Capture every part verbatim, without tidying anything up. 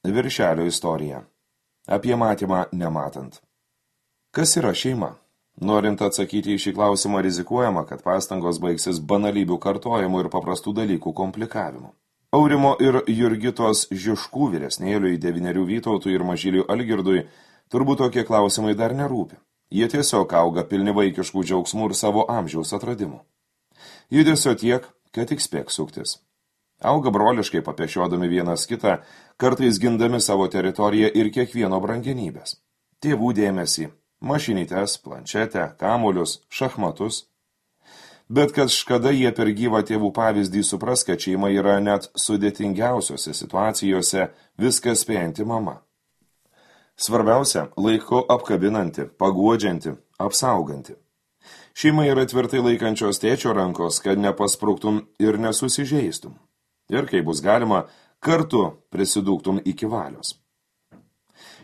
Viršelio istorija. Apie matymą nematant. Kas yra šeima? Norint atsakyti į šį klausimą, rizikuojama, kad pastangos baigsis banalybių kartojimu ir paprastų dalykų komplikavimu. Aurimo ir Jurgitos Žižkų vyresnėliui, devynerių Vytautui ir mažyliui Algirdui turbūt tokie klausimai dar nerūpi. Jie tiesiog auga pilni vaikiškų džiaugsmų ir savo amžiaus atradimų. Judesio tiek, kad tik spėk suktis. Auga broliškai papešiodami vienas kitą, kartais gindami savo teritoriją ir kiekvieno brangenybės. Tėvų dėmesį, mašinytes, planšetę, kamuolius, šachmatus. Bet kažkada jie per gyvą tėvų pavyzdį supras, kad šeima yra net sudėtingiausiose situacijose viską spėjanti mama. Svarbiausia, laiku apkabinanti, paguodžianti, apsauganti. Šeima yra tvirtai laikančios tėčio rankos, kad nepaspruktum ir nesusižeistum. Ir kai bus galima, kartu prisidūktum iki valios.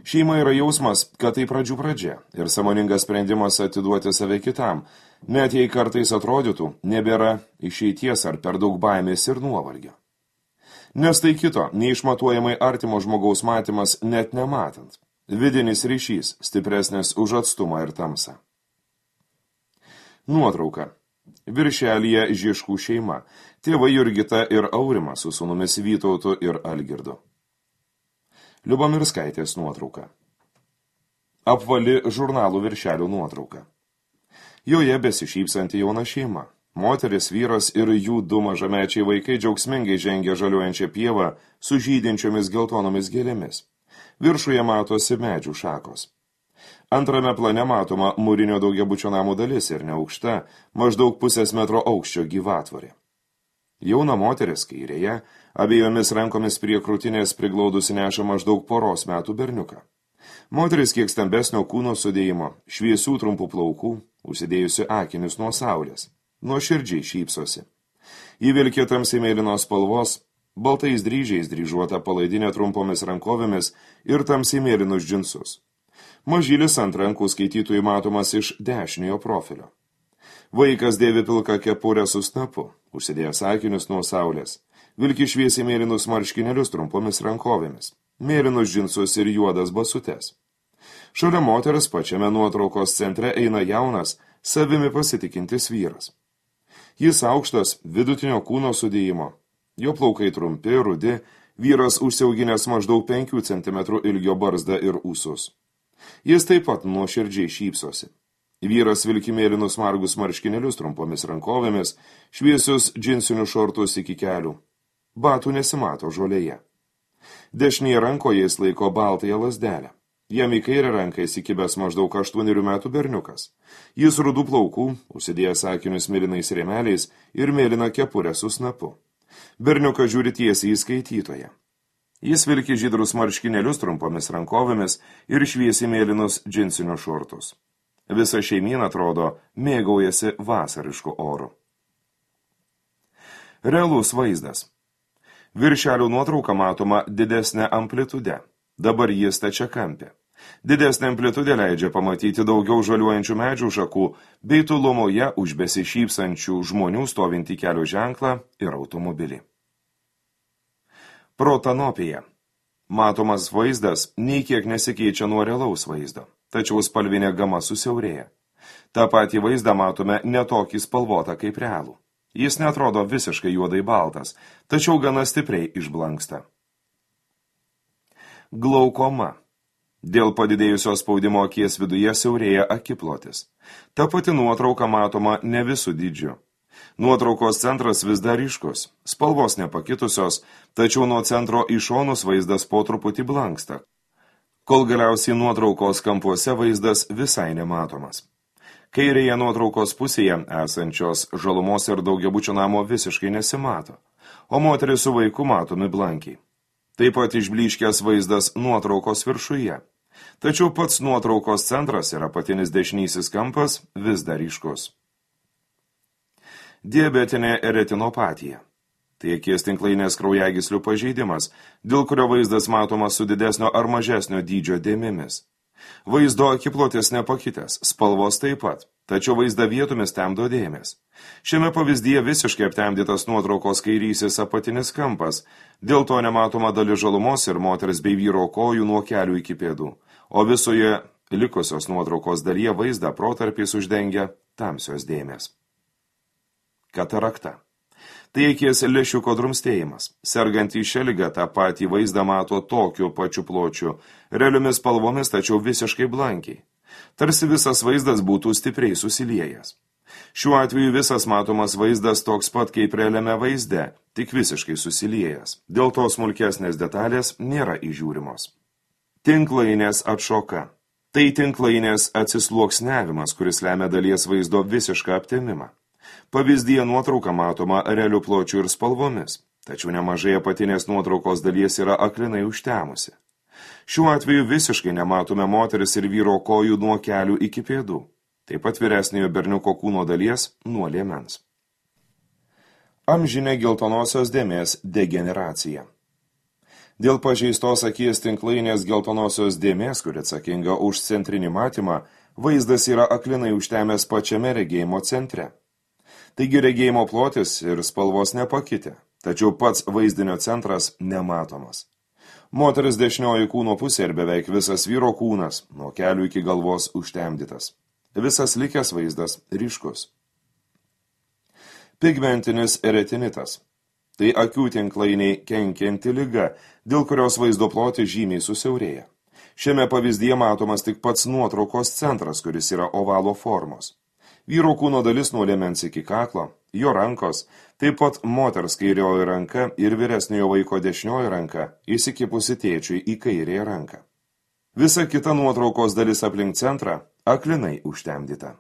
Šeima yra jausmas, kad tai pradžių pradžia ir sąmoningas sprendimas atiduoti save kitam, net jei kartais atrodytų, nebėra išeities ar per daug baimės ir nuovargio. Nes tai kito, neišmatuojamai artimo žmogaus matymas net nematant. Vidinis ryšys stipresnis už atstumą ir tamsą. Nuotrauka. Viršelyje Žižkų šeima. Tėvai Jurgita ir Aurimas su sūnumis Vytautu ir Algirdu. Liubomirskaitės nuotrauka. Apvali žurnalų viršelių nuotrauka. Joje besišypsanti jauna šeima. Moteris, vyras ir jų du mažamečiai vaikai džiaugsmingai žengia žaliuojančią pievą su žydinčiomis geltonomis gėlėmis. Viršuje matosi medžių šakos. Antrame plane matoma mūrinio daugiabučio namų dalis ir neaukšta, maždaug pusės metro aukščio gyvatvorė. Jauna moteris kairėje, abiejomis rankomis prie krūtinės priglaudusi neša maždaug poros metų berniuką. Moteris kiek stambesnio kūno sudėjimo, šviesių trumpų plaukų, užsidėjusi akinius nuo saulės, nuoširdžiai šypsosi. Ji vilkė tamsiai mėlynos spalvos, baltais dryžiais dryžuota palaidinė trumpomis rankovėmis ir tamsiai mėlynus džinsus. Mažylis ant rankų skaitytojui matomas iš dešiniojo profilio. Vaikas dėvi pilką kepurę su snapu, užsidėjęs akinius nuo saulės, vilki šviesiai mėlynus marškinėlius trumpomis rankovėmis, mėlynus džinsus ir juodas basutes. Šalia moters pačiame nuotraukos centre eina jaunas, savimi pasitikintis vyras. Jis aukštas, vidutinio kūno sudėjimo, jo plaukai trumpi, rudi, vyras užsiauginęs maždaug penkių centimetrų ilgio barzdą ir ūsus. Jis taip pat nuoširdžiai šypsosi. Vyras vilki mėlynus margus marškinėlius trumpomis rankovėmis, šviesius džinsinius šortus iki kelių. Batų nesimato žolėje. Dešinėje rankoje jis laiko baltąją lazdelę. Jam į kairę ranką įsikibęs maždaug aštuonerių metų berniukas. Jis rudų plaukų, užsidėjęs akinius mėlynais rėmeliais ir mėlyną kepurę su snapu. Berniukas žiūri tiesiai į skaitytoją. Jis vilki žydrus marškinėlius trumpomis rankovėmis ir šviesiai mėlynus džinsinius šortus. Visa šeimyna, atrodo, mėgaujasi vasarišku oru. Realus vaizdas. Viršelių nuotrauka matoma didesnė amplitude. Dabar jis stačiakampė. Didesnė amplitudė leidžia pamatyti daugiau žaliuojančių medžių šakų bei tolumoje už besišypsančių žmonių stovintį kelio ženklą ir automobilį. Protanopija. Matomas vaizdas nei kiek nesikeičia nuo realaus vaizdo, tačiau spalvinė gama susiaurėja. Ta patį vaizdą matome netokį spalvotą kaip realų. Jis netrodo visiškai juodai baltas, tačiau gana stipriai išblanksta. Glaukoma. Dėl padidėjusio spaudimo akies viduje siaurėja akiplotis. Ta pati nuotrauka matoma ne visų dydžių. Nuotraukos centras vis dar ryškus, spalvos nepakitusios, tačiau nuo centro į šonus vaizdas po truputį blanksta, kol galiausiai nuotraukos kampuose vaizdas visai nematomas. Kairėje nuotraukos pusėje esančios žalumos ir daugiabučio namo visiškai nesimato, o moteris su vaiku matomi blankiai. Taip pat išblyškęs vaizdas nuotraukos viršuje, tačiau pats nuotraukos centras ir apatinis dešinysis kampas vis dar ryškus. Diabetinė retinopatija. Tai akies tinklainės kraujagyslių pažeidimas, dėl kurio vaizdas matomas su didesnio ar mažesnio dydžio dėmėmis. Vaizdo akiplotis nepakitęs, spalvos taip pat, tačiau vaizdą vietomis temdo dėmės. Šiame pavyzdyje visiškai aptemdytas nuotraukos kairysis apatinis kampas, dėl to nematoma dalis žalumos ir moters bei vyro kojų nuo kelių iki pėdų, o visoje likusios nuotraukos dalyje vaizdą protarpiais uždengia tamsios dėmės. Katarakta. Tai akies lęšiuko drumstėjimas. Sergantį šią ligą tą patį vaizdą mato tokiu pačiu pločiu, realiomis spalvomis, tačiau visiškai blankiai. Tarsi visas vaizdas būtų stipriai susiliejęs. Šiuo atveju visas matomas vaizdas toks pat kaip realiame vaizde, tik visiškai susiliejęs. Dėl to smulkesnės detalės nėra įžiūrimos. Tinklainės atšoka. Tai tinklainės atsisluoksniavimas, kuris lemia dalies vaizdo visišką aptemimą. Pavyzdyje nuotrauka matoma realių pločių ir spalvomis, tačiau nemažai apatinės nuotraukos dalies yra aklinai užtemusi. Šiuo atveju visiškai nematome moteris ir vyro kojų nuo kelių iki pėdų, taip pat vyresniojo berniuko kūno dalies nuo liemens. Amžinė geltonosios dėmės degeneracija. Dėl pažeistos akies tinklainės geltonosios dėmės, kuri atsakinga už centrinį matymą, vaizdas yra aklinai užtemęs pačiame regėjimo centre. Taigi regėjimo plotis ir spalvos nepakitė, tačiau pats vaizdinio centras nematomas. Moteris dešinioji kūno pusė ir beveik visas vyro kūnas, nuo kelių iki galvos užtemdytas. Visas likęs vaizdas ryškus. Pigmentinis retinitas. Tai akių tinklainiai kenkianti liga, dėl kurios vaizdo plotis žymiai susiaurėja. Šiame pavyzdyje matomas tik pats nuotraukos centras, kuris yra ovalo formos. Vyro kūno dalis nuo liemens iki kaklo, jo rankos, taip pat moters kairioji ranka ir vyresniojo vaiko dešinioji ranka įsikipusi tėčiui į kairėje ranką. Visa kita nuotraukos dalis aplink centrą aklinai užtemdyta.